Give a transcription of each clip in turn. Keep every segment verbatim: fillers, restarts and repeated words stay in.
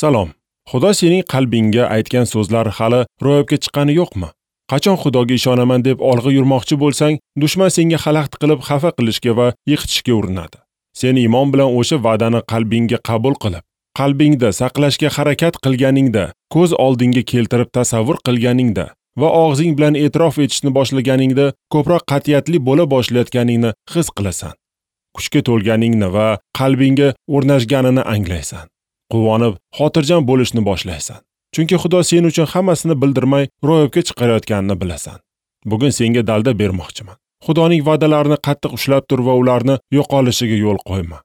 Salom. Xudo sening qalbingga aytgan so'zlar hali ro'yobga chiqqani yo'qmi? Qachon Xudoga ishonaman deb olg'a yurmoqchi bo'lsang, dushman senga xalaqit qilib xafa qilishga va yiqitishga urinadi. Sen iymon bilan o'sha va'dani qalbingga qabul qilib, qalbingda saqlashga harakat qilganingda, ko'z oldingga keltirib tasavvur qilganingda va og'zing bilan e'tirof etishni boshlaganingda ko'proq qat'iyatli bo'la boshlayotganingni his qilasan. Kuchga to'lganingni va qalbingga o'rnashganini anglaysan. Quvonib, xotirjam bo'lishni boshlaysan. Chunki Xudo sen uchun hammasini bildirmay ro'yobga chiqarayotganini bilasan. Bugun senga dalda bermoqchiman. Xudoning va'dalarini qattiq ushlab tur va ularni yo'qolishiga yo'l qo'yma.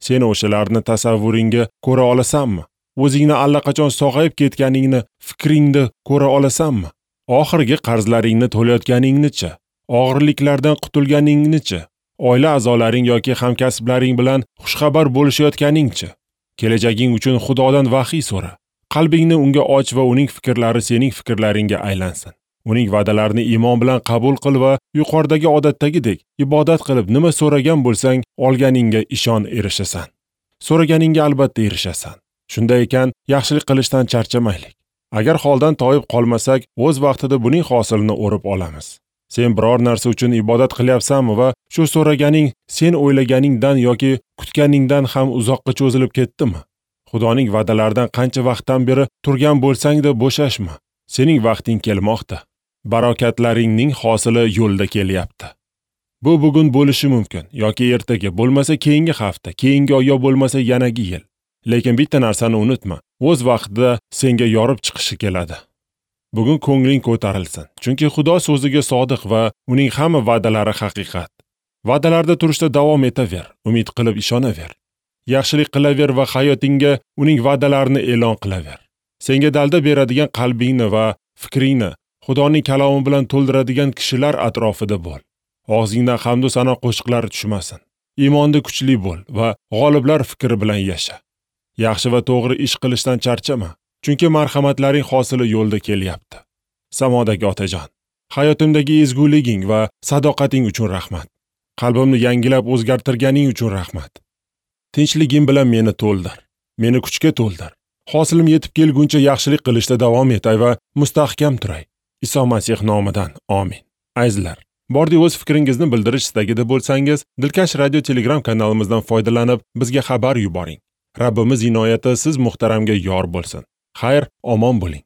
Sen o'shalarni tasavvuringga ko'ra olasanmi? O'zingni allaqachon sog'ayib ketganingni fikringda ko'ra olasanmi? Oxirgi qarzlaringni to'layotganingnicha, og'irliklardan qutulganingnicha, oila a'zolaring yoki hamkasblaring bilan xushxabar bo'lishayotganingcha, kelajaging uchun Xudodan vahiy so'ra. Qalbingni unga och va uning fikrlari sening fikrlaringga aylansin. Uning va'dalarini iymon bilan qabul qil va yuqoridagi odatdagidek ibodat qilib nima so'ragan bo'lsang, olganingga ishon, erishasan. So'raganingga albatta erishasan. Shunday ekan, yaxshilik qilishdan charchamaylik. Agar holdan toyib qolmasak, o'z vaqtida buning hosilini o'rib olamiz. Sen biror narsa uchun ibodat qilyapsanmi va shu so'raganing sen o'ylaganingdan yoki kutganingdan ham uzoqqa cho'zilib ketdimi? Xudoning va'dalaridan qancha vaqtdan beri turgan bo'lsang-da bo'shashma. Sening vaqting kelmoqda. Barokatlaringning hosili yo'lda kelyapti. Bu bugun bo'lishi mumkin yoki ertaga, bo'lmasa keyingi hafta, keyingi oy yo bo'lmasa yanagi yil. Lekin bitta narsani unutma, o'z vaqtida senga yorib chiqishi keladi. Bugun ko'ngling ko'tarilsin, chunki Xudo so'ziga sodiq va uning hamma va'dalari haqiqat. Va'dalarda turishda davom etaver, umid qilib ishonaver. Yaxshilik qilaver va hayotingga uning va'dalarini e'lon qilaver. Senga dalda beradigan qalbingni va fikringni Xudoning kalomi bilan to'ldiradigan kishilar atrofida bo'l. Og'zingdan hamd va sano qo'shiqlari tushmasin. Iymonda kuchli bo'l va g'oliblar fikri bilan yasha. Yaxshi va to'g'ri ish qilishdan charchama, chunki marhamatlaring hosili yo'lda kelyapti. Samodagi otajon, hayotimdagi ezguliging va sadoqating uchun rahmat. Qalbimni yangilab o'zgartirganing uchun rahmat. Tinchliging bilan meni to'ldir, meni kuchga to'ldir. Hosilim yetib kelguncha yaxshilik qilishda davom etay va mustahkam turay. Iso Masih nomidan. Amin. Azizlar, bordi o'z fikringizni bildirish istagida bo'lsangiz, Dilkash Radio Telegram kanalimizdan foydalanib bizga xabar yuboring. Rabbimiz inoyati siz muhtaramga yor bo'lsin. Xayr, omon bo'ling.